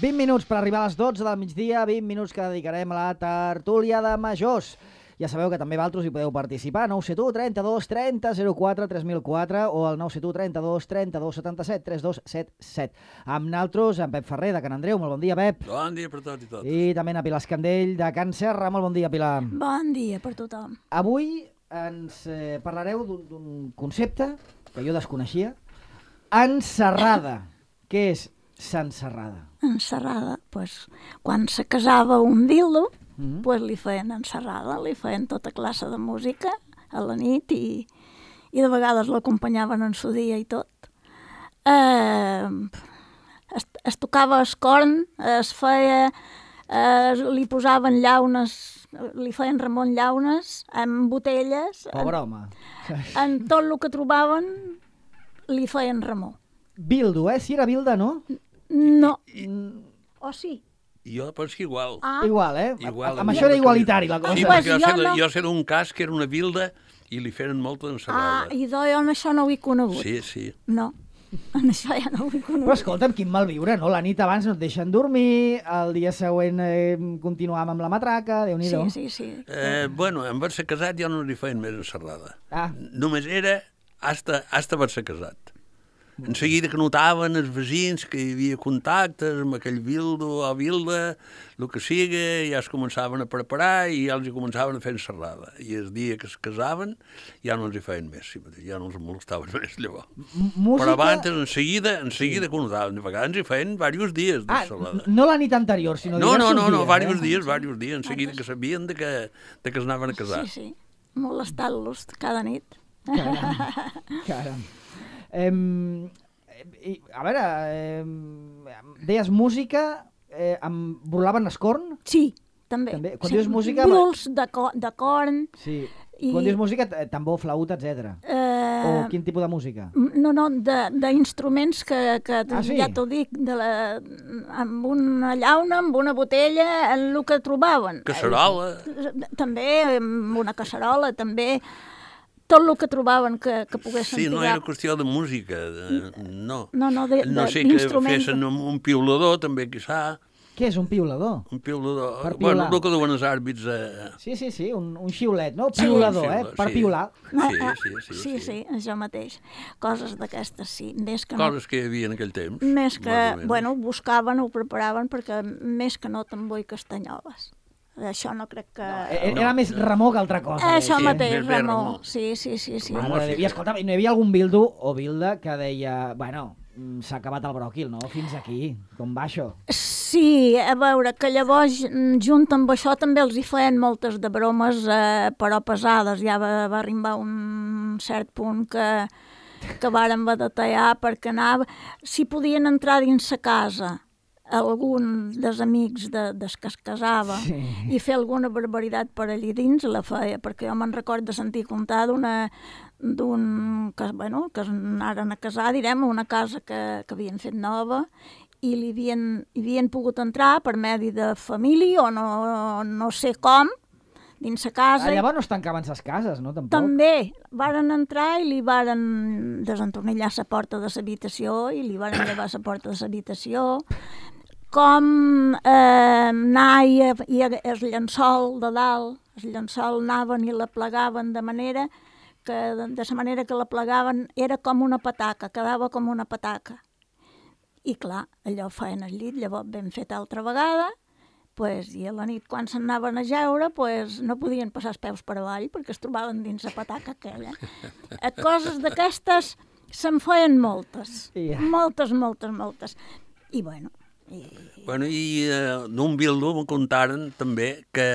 20 minuts per arribar a les 12 del migdia, 20 minuts que dedicarem a la tertúlia de majors. Ja sabeu que també vosaltres hi podeu participar, 971 32 30 04 3004 o el 971 32 32 77 3277. Amb naltros, en Pep Ferrer, de Can Andreu. Molt bon dia, Pep. Bon dia per tot i tot. I també en Pilar Escandell, de Can Serra. Molt bon dia, Pilar. Bon dia per tothom. Avui ens parlareu d'un concepte que jo desconeixia. Enserrada. Què és s'enserrada? Enserrada, doncs, quan se casava un dildo, pues li feien enserrada, li feien tota classe de música a la nit i de vegades l'acompanyaven en su dia i tot. Es tocava el corn, es feia, li posaven llaunes, li feien ramon llaunes amb botelles. Pobre home. En tot el que trobaven li feien ramó. Bildo, si era bilda, no? No. O sí? Jo penso que igual. Igual, Igual, amb això era igualitari, la cosa. Sí, Pues perquè jo jo sé d'un cas que era una bilda i li feien molta ensalada. I jo en això no ho he conegut. Sí. No, en això ja no ho he conegut. Però escolta'm, quin malviure, no? La nit abans no et deixen dormir, el dia següent continuàvem amb la matraca, Déu-n'hi-do. Sí. Bueno, en haver-se casat ja no li feien més ensalada. Ah. Només era hasta haver-se casat. En seguida que notaven els veïns que hi havia contactes amb aquell bildo o bilda, el que siga, ja es començaven a preparar i ja els hi començaven a fer enserrada. I el dia que es casaven ja no els hi feien més, ja no els molestaven més llavors. Música... Però abans, en seguida que ho notaven, de vegades hi feien diversos dies d'ensalada. No la nit anterior, sinó diversos dies. No, diversos dies, en seguida que sabien que es anaven a casar. Sí, molestant-los cada nit. Caram. A veure, deies música, burlaven escorn? Sí, també. Quan sí. dius música... Bruls de corn. Sí. Quan dius música, tambor, flauta, etc. O quin tipus de música? No, d'instruments que sí? ja t'ho dic, amb una llauna, amb una botella, en el que trobaven. Casserola. També, amb una casserola, també... Tot el que trobaven que poguessin tirar. Sí, no tirar. era qüestió de música, no. No sé que fessin un piulador, també, quizà. Què és un piulador? Un piulador. Per piular. Bueno, el que duen els àrbits... Sí, un xiulet, no? Piulador, per piular. Sí, això mateix. Coses d'aquestes, sí. Coses que hi havia en aquell temps. Més que, bueno, buscaven, ho preparaven, perquè més que no tambor i castanyoles. Això no crec que... Era més remor que altra cosa. Això mateix, remor. Sí. I escolta, no hi havia algun bildo o bilda que deia, bueno, s'ha acabat el bròquil, no? Fins aquí, com va això? Sí, a veure, que llavors, junt amb això, també els hi feien moltes de bromes, però pesades. Ja va arribar un cert punt que varen batallar perquè anava... Si podien entrar dins sa casa algun dels amics des que es casava i fer alguna barbaritat per allí dins la feia, perquè jo me'n record de sentir contar que es anaren a casar, direm, a una casa que havien fet nova i hi havien pogut entrar per medi de família o no sé com, dins la casa. Llavors no es tancaven les cases, no? Tampoc. També varen entrar i li varen desentornillar la porta de l'habitació i li varen llevar la porta de l'habitació. Com anar i el llençol de dalt, el llençol anaven i la plegaven de la manera que la plegaven era com una pataca, quedava com una pataca. I clar, allò feien al llit, llavors ben fet altra vegada, i a la nit quan s'anaven a jeure no podien passar els peus per avall perquè es trobaven dins la pataca aquella. Coses d'aquestes se'n feien moltes, moltes. I bueno... I d'un bildo em contaren també que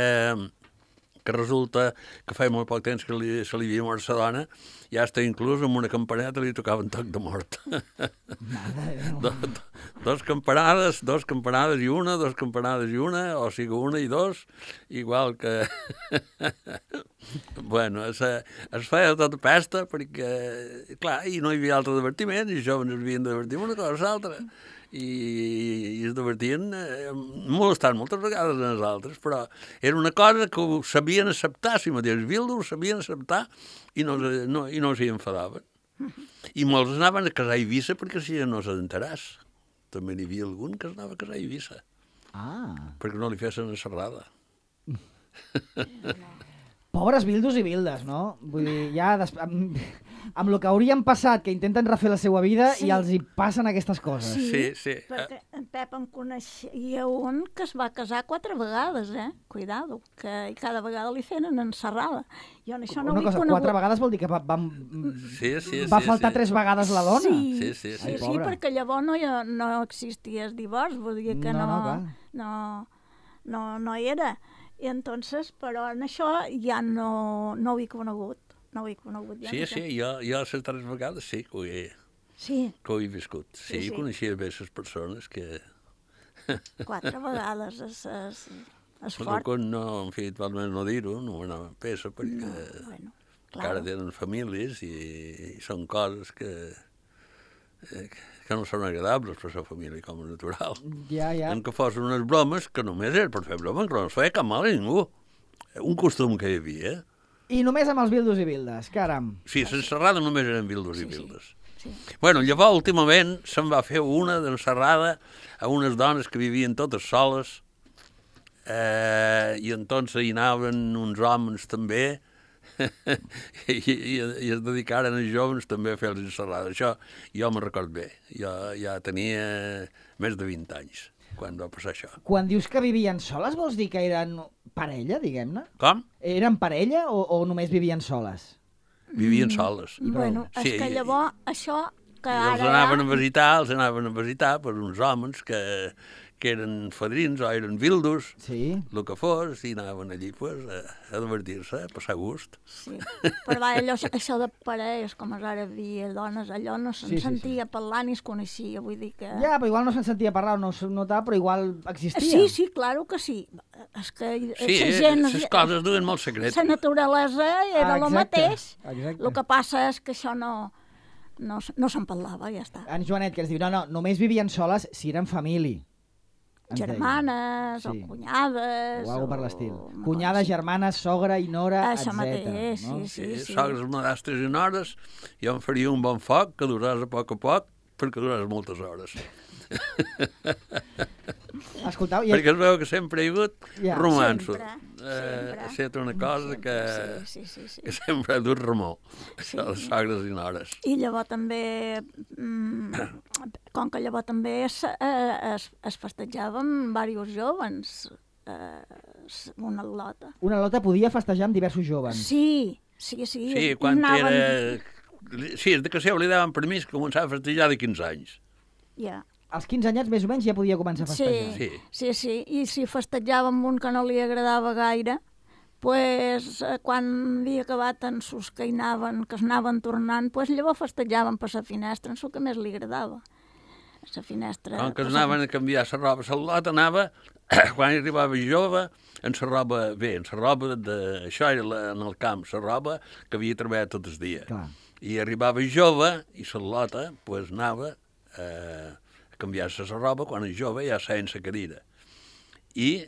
resulta que feia molt poc temps que se li havia mort sa dona, ja està inclús amb una campaneta li tocaven toc de mort. Dos campanades i una, o sigui una i dos, igual que... Bueno, es feia tota pesta perquè, clar, i no hi havia altre divertiment, i els joves es havien de divertir una cosa o l'altra. I es divertien molestant moltes vegades a nosaltres, però era una cosa que ho sabien acceptar, si mateix Bildo ho sabien acceptar i no s'hi enfadaven. I molts anaven a casar a Eivissa perquè si no s'adentaràs. també n'hi havia algun que es anava a casar a Eivissa, perquè no li fessin encerrada. Pobres bildos i bildes, no? Vull dir, ja amb el que haurien passat, que intenten refer la seva vida i els hi passen aquestes coses. Sí. Perquè en Pep en coneixia un que es va casar 4 vegades, Cuidado, que cada vegada li feien encerrada. Jo en això no ho he conegut. 4 vegades vol dir que va faltar 3 vegades la dona? Sí, perquè llavors no existia el divorç, vull dir que no era. I entonces, però en això ja no ho he conegut. No ho he conegut ja. Sí, jo les 3 vegades sí que ho he viscut. Sí, jo coneixia bé les persones que... 4 vegades és fort. No, en fi, almenys no dir-ho, no anava a peça, perquè encara tenen famílies i són coses que no són agradables per la família com a natural. Ja. En que fossin unes bromes que només era per fer bromes, que no es feia cap mal a ningú. Un costum que hi havia. I només amb els bildos i bildes, caram. Sí, l'encerrada només eren bildos i bildes. Bueno, llavors, últimament, se'n va fer una d'encerrada a unes dones que vivien totes soles i entonces hi anaven uns homes també i es dedicaren els joves també a fer les encerrades. Això jo me'n record bé. Jo ja tenia més de 20 anys quan va passar això. Quan dius que vivien soles, vols dir que eren parella, diguem-ne? Com? Eren parella o només vivien soles? Vivien soles. Bueno, és que llavors això que ara... Els anaven a visitar per uns homes que eren fadrins o eren vildos, el que fos, i anaven allí a divertir-se, a passar gust. Sí, però això de parelles, com ara havia dones, allò no se'n sentia parlar ni es coneixia, vull dir que... Ja, però igual no se'n sentia parlar o no es notava, però igual existia. Sí, claro que sí. És que les coses duen molt secret. La naturalesa era el mateix. El que passa és que això no se'n parlava, ja està. En Joanet, que ens diu, no, només vivien soles si eren família. Germanes o cunyades... O alguna per l'estil. Cunyades, germanes, sogra i nora, etc. Això mateix, sí. Sogres, madrastres i nores, jo em faria un bon foc que duràs a poc, perquè duràs moltes hores. Escoltau... Perquè es veu que sempre hi ha hagut romanço. Sempre. Ha estat una cosa que sempre ha dut remor, això de sogres i nores. I llavors també, com que llavors també es festejava amb diversos joves, una lota. Una lota podia festejar amb diversos joves. Sí. Sí, quan era... Sí, és que se oblidaven permís que començava a festejar de 15 anys. Ja. Als 15 anyats més o menys ja podia començar a festejar. Sí. I si festejava amb un que no li agradava gaire, pues, quan havia acabat en sus que es anaven tornant, pues, llavors festejaven per la finestra, en el que més li agradava. La finestra... Com que anaven a canviar la roba, la lota anava, quan arribava jove, en la roba, això era en el camp, la roba que havia treballat tot el dia. Clar. I arribava jove, i la lota, pues, anava a canviar-se la roba quan és jove ja seien la cadira. I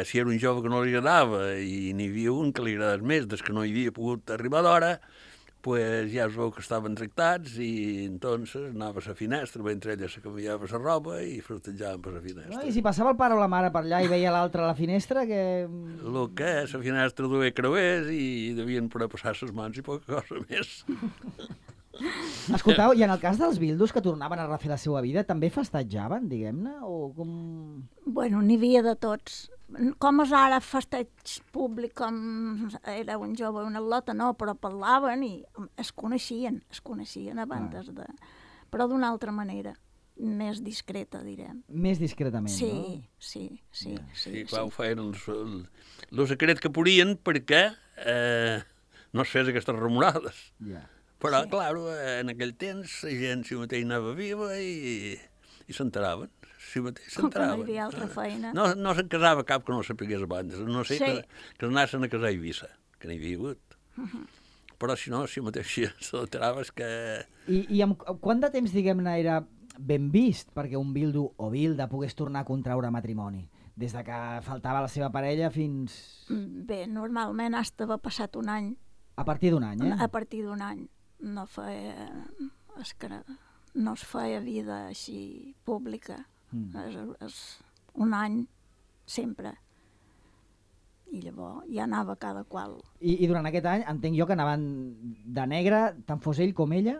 si era un jove que no li agradava i n'hi havia un que li agradava més des que no hi havia pogut arribar d'hora, pues ja es veu que estaven tractats i entonces anava a la finestra, mentre ella se canviava la roba i festejaven per la finestra. I si passava el pare o la mare per allà i veia l'altre a la finestra, que... El que la finestra duia creuers i devien poder passar les mans i poca cosa més. Escoltau, i en el cas dels bildos que tornaven a refer la seva vida, també festejaven, diguem-ne, o com... Bueno, n'hi havia de tots. Com és ara festeig públic, com era un jove o una lota, no, però parlaven i es coneixien abans de... Però d'una altra manera, més discreta, direm. Més discretament, no? Sí, clar, ho feien el secret que podien perquè no es fes aquestes remorades. Però, clar, en aquell temps la gent si mateix anava viva i s'enteraven. Si mateix s'enteraven. Com que no hi havia altra feina. No se'n casava cap que no sapigués abans. No sé que anaven a casar a Eivissa, que n'hi havia hagut. Però si no, si mateix s'enteraves que... I amb quant de temps, diguem-ne, era ben vist perquè un bildo o bilda pogués tornar a contraure matrimoni? Des de que faltava la seva parella fins... Bé, normalment hasta va passat un any. A partir d'un any, A partir d'un any. No feia... És que no es feia vida així pública. És un any sempre. I llavors ja anava cada qual. I durant aquest any entenc jo que anaven de negre, tant fos ell com ella?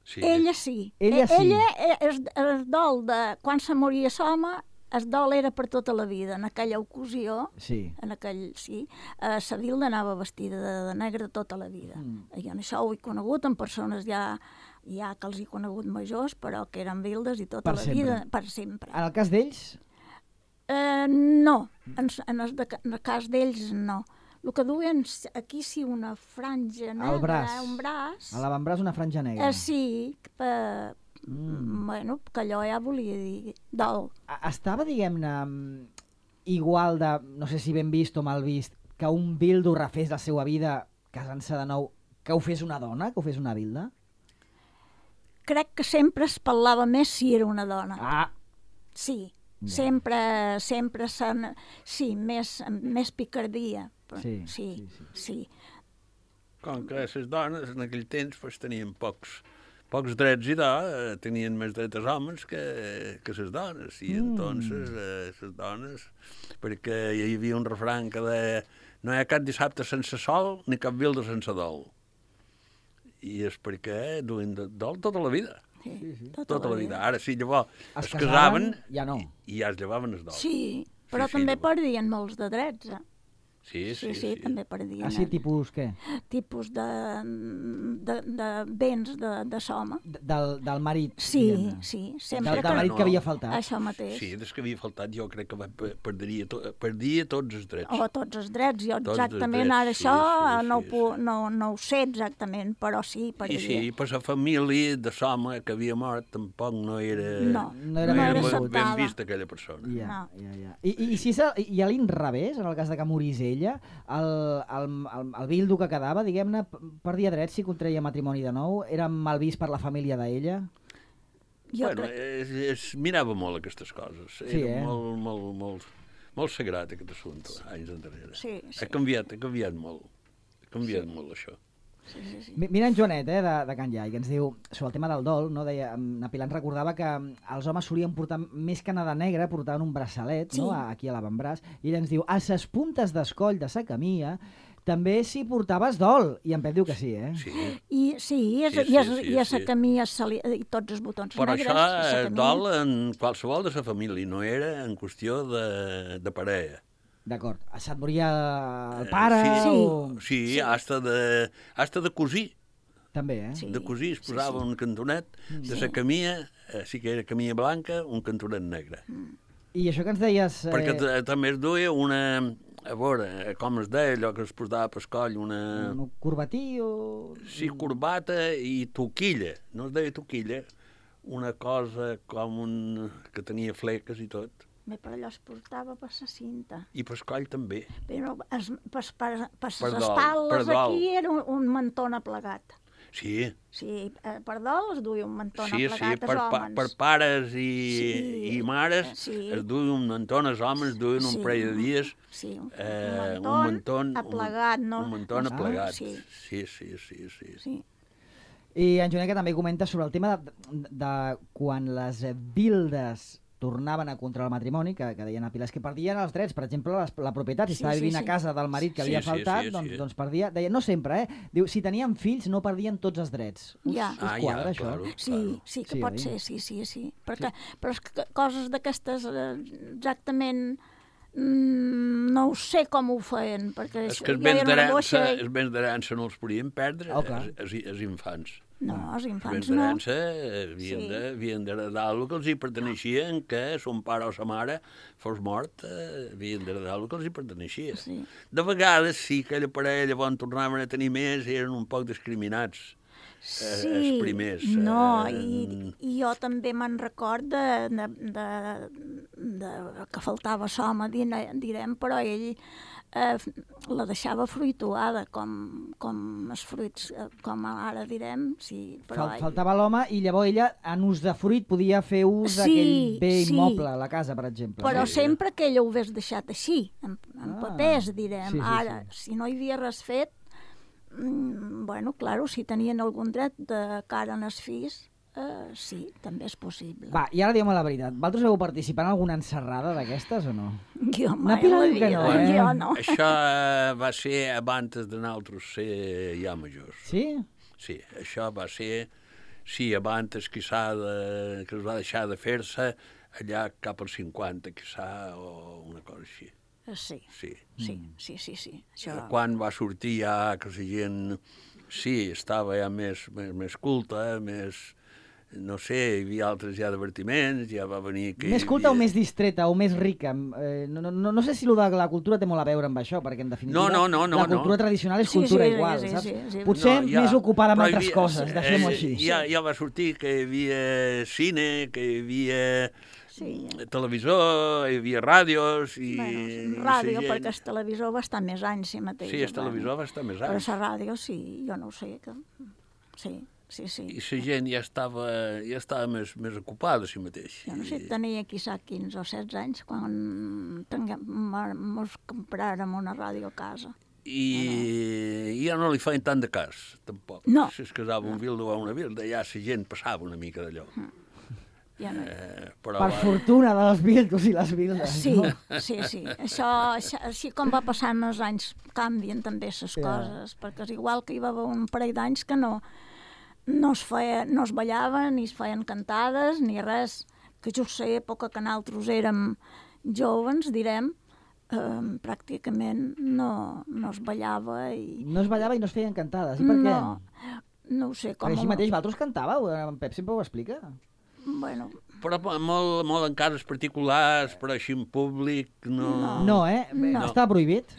Sí. Ella sí. Ella sí. Ella, el dol de quan se moria l'home, el dol era per tota la vida. En aquella ocasió, Sí. la Vilda anava vestida de negre tota la vida. Jo en això ho he conegut en persones ja que els he conegut majors, però que eren vildes i tota la vida, per sempre. En el cas d'ells? No, en el cas d'ells no. El que duien aquí sí una franja negra, Al braç. un braç. A l'avantbraç una franja negra. Sí, bueno, que allò ja volia dir dol. Estava, diguem-ne, igual de, no sé si ben vist o mal vist, que un bildo refés la seva vida casant-se de nou, que ho fes una dona, que ho fes una bilda? Crec que sempre es parlava més si era una dona. Ah! Sí, Ja. sempre sí, més picardia. Sí. Com que les dones en aquell temps pues, tenien pocs drets i tenien més drets els homes que les dones. I entonces les dones, perquè hi havia un refrany que deia no hi ha cap dissabte sense sol ni cap vilda sense dol. I és perquè duien dol tota la vida. Sí, tota la vida. Ara sí, llavors Es es casaven ja no. i ja es llevaven el dol. Sí, però Sí, també llavors. perdien molts de drets. Sí. També perdien. Així, tipus què? Tipus de béns de l'home. Del marit. Sí, diguem-ne. sí, sempre Del marit que havia faltat. Això mateix. Sí, des que havia faltat jo crec que perdia tots els drets. O tots els drets, jo Tots els exactament drets, ara sí, això sí. no ho sé exactament, però sí, per I sí, per la família de l'home que havia mort tampoc no era, No era ben acceptada. vist aquella persona. Ja. I si i a l'inrevés, en el cas de que morís ella, el bildo que quedava, diguem-ne, perdia drets si contreia matrimoni de nou? Era mal vist per la família d'ella? Jo Es mirava molt aquestes coses. Sí, Era molt sagrat aquest assumpte, anys enrere. Sí. Ha canviat molt. Ha canviat molt això. Sí. Mira en Joanet, de Can Iai, que ens diu, sobre el tema del dol, no? Deia, na Pilar ens recordava que els homes solien portar, més que anar de negre, portaven un braçalet, no? Aquí a l'avantbraç, i ella ens diu, a ses puntes d'escoll de sa camia també s'hi portaves dol, i en Pep diu que sí, eh? Sí. I a la camia i tots els botons Però negres. això és dol en qualsevol de la família, no era en qüestió de parella. D'acord. Et moria el pare? Sí, hasta de cosir. També, eh? Sí. De cosir es posava un cantonet de la camia, sí que era camia blanca, un cantonet negre. I això que ens deies... Perquè també es duia una... A veure, com es deia, allò que es posava per coll, una... Un corbatí o... Sí, corbata i toquilla. No es deia toquilla, una cosa com que tenia fleques i tot. Bé, per allò es portava per la cinta. I per coll també. Però per les dol, espatles per dol. aquí era un mantó plegat. Sí. Sí, per dol es duia un mantó plegat als homes. Per pares i mares es duien un mantó, els homes duien un parell de dies. Sí, un mantó aplegat, no? Un mantó aplegat. Sí. Sí. I en Joanet que també comenta sobre el tema de quan les vildes tornaven a contra el matrimoni, que deien a Pilar, que perdien els drets, per exemple, la propietat, si estava vivint a casa del marit que havia faltat, doncs perdia, deia, no sempre, diu, si tenien fills no perdien tots els drets. Us quadra, això? Claro. Sí, que pot ser, sí. Però és que coses d'aquestes exactament no ho sé com ho feien, perquè és que els béns d'herència no els podien perdre, els infants. No, els infants no. Els havien d'heredar el que els hi perteneixia, en què son pare o sa mare fos mort, havien d'heredar el que els hi perteneixia. Sí. De vegades sí que aquella parella, quan tornaven a tenir més, eren un poc discriminats. Els primers. No, i jo també me'n record que faltava l'home, direm, però ell la deixava fruituada, com els fruits, com ara direm. Sí, però faltava l'home i llavors ella, en ús de fruit, podia fer ús d'aquell bé immoble a la casa, per exemple. Però sempre que ella ho hagués deixat així, en papers, direm. Ara, si no hi havia res fet, bueno, claro, si tenien algun dret de cara en els fills, sí, també és possible. Va, i ara diguem la veritat. Vosaltres heu participat en alguna encerrada d'aquestes o no? Jo mai Pilar en la diu que vida, no, eh? jo no. Això va ser abans de nosaltres ser ja majors. Sí? Sí, això va ser, sí, abans quizà que es va deixar de fer-se allà cap als 50, quizà, o una cosa així. Sí, Sí. sí. Això... Quan va sortir ja que la gent, sí, estava ja més culta, més, no sé, hi havia altres ja divertiments, ja va venir... Que Més culta o més distreta o més rica? No sé si lo de la cultura té molt a veure amb això, perquè en definitiva la cultura tradicional és cultura igual, saps? Sí. Potser més ocupada amb però altres coses, deixem-ho així. Ja va sortir que hi havia cine, que hi havia televisor, hi havia ràdios... Ràdio, perquè el televisor va estar més anys, si mateix. Sí, el televisor va estar més anys. Però la ràdio, sí, jo no ho sé. Sí. I la gent ja estava més ocupada, si mateix. Jo no sé, tenia quizà 15 o 16 anys quan mos compràrem una ràdio a casa. I ja no li feien tant de cas, tampoc. No. Si es casava un vildo o una vilda, ja la gent passava una mica d'allò. Ja no. Per fortuna dels vildos i les vildes. Sí, no? sí. Això, així com va passant els anys, canvien també les coses, perquè és igual que hi va haver un parell d'anys que no es ballaven, ni es feien cantades, ni res. Que jo sé, època que nosaltres érem joves, direm, pràcticament no es ballava. No es ballava i no es feien cantades. I per què? No ho sé. Perquè així mateix vosaltres cantàveu, en Pep sempre ho explica. Bueno... Però molt en cases particulars, però així en públic, no... No, no. Està prohibit?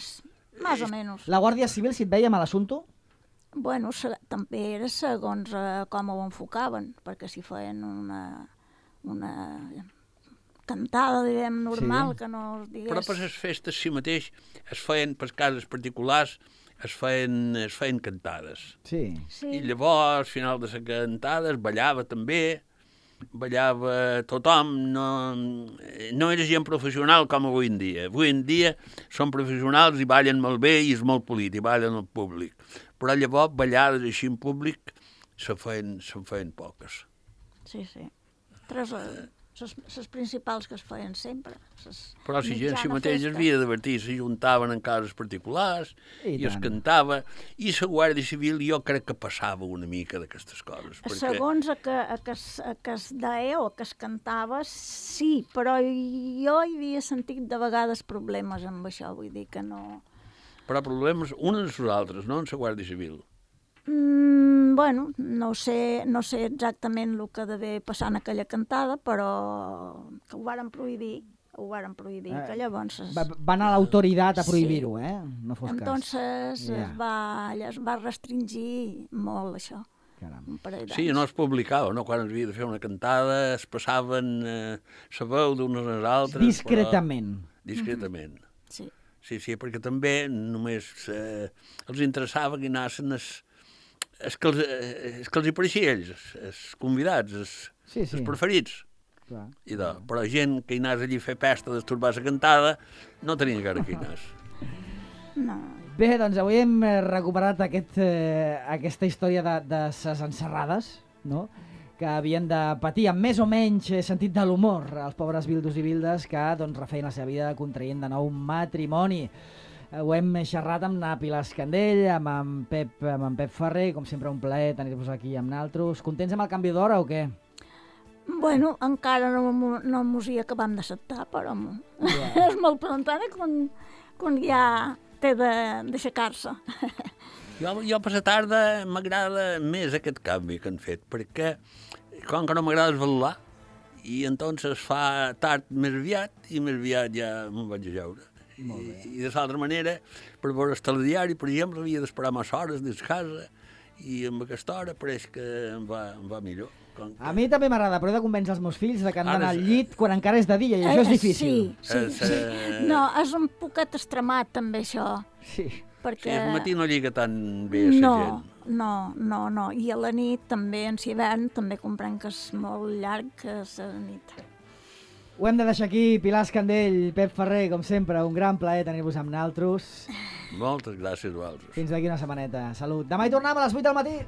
Més o menys. La Guàrdia Civil, si et veia mal assumpte? Bueno, també era segons com ho enfocaven, perquè si feien una cantada, direm, normal, que no es digués... Però per les festes, si mateix, es feien per cases particulars, es feien cantades. Sí. I llavors, al final de les cantades, ballava també, ballava tothom, no era gent professional com avui en dia. Avui en dia són professionals i ballen molt bé i és molt polit, i ballen al públic. Però llavors, ballades així en públic, se'n feien poques. Sí. Les principals que es feien sempre. Però si gent si mateix es havia de divertir, s'ajuntaven en cases particulars i es cantava. I la Guàrdia Civil jo crec que passava una mica d'aquestes coses. Segons que es deia o que es cantava, sí, però jo hi havia sentit de vegades problemes amb això, vull dir que no... Però problemes uns als altres, no en la Guàrdia Civil? Bueno, no sé exactament el que devia passar en aquella cantada, però que ho varen prohibir, que llavors... Va anar l'autoritat a prohibir-ho, no fos cas. Entonces es va restringir molt això. Sí, no es publicava, no? Quan es havia de fer una cantada es passaven la veu d'unes als altres. Discretament. Discretament. Sí. Sí, perquè també només els interessava que anessin els que els hi pareixia ells, els convidats, els preferits. Clar. Però gent que hi anés allí a fer pesta, destorbar la cantada, no tenia encara que hi anés. No. Bé, doncs avui hem recuperat aquesta història de ses encerrades, no?, que havien de patir amb més o menys sentit de l'humor els pobres vildos i vildes que refeien la seva vida contraient de nou matrimoni. Ho hem xerrat amb na Pilar Escandell, amb en Pep Ferrer, com sempre un plaer tenir-vos aquí amb naltros. Contents amb el canvi d'hora o què? Bueno, encara no mos hi acabam d'acceptar, però és molt prontana quan ja té d'aixecar-se. Jo per la tarda m'agrada més aquest canvi que han fet, perquè com que no m'agrada esvalular, i entonces fa tard més aviat, i més aviat ja me'n vaig a jaure. I de l'altra manera, per veure el telediari, per exemple, havia d'esperar massa hores des de casa, i amb aquesta hora pareix que em va millor. A mi també m'agrada, però he de convèncer els meus fills que han d'anar al llit quan encara és de dia, i això és difícil. Sí. No, és un poquet extremat, també, això. Sí. Perquè... Sí, al matí no lliga tan bé la gent. No. I a la nit, també, en hivern, també comprenc que és molt llarg la nit. Ho hem de deixar aquí. Pilar Escandell, Pep Ferrer, com sempre, un gran plaer tenir-vos amb naltros. Moltes gràcies a vosaltres. Fins d'aquí una setmaneta. Salut. Demà hi tornem a les 8 del matí.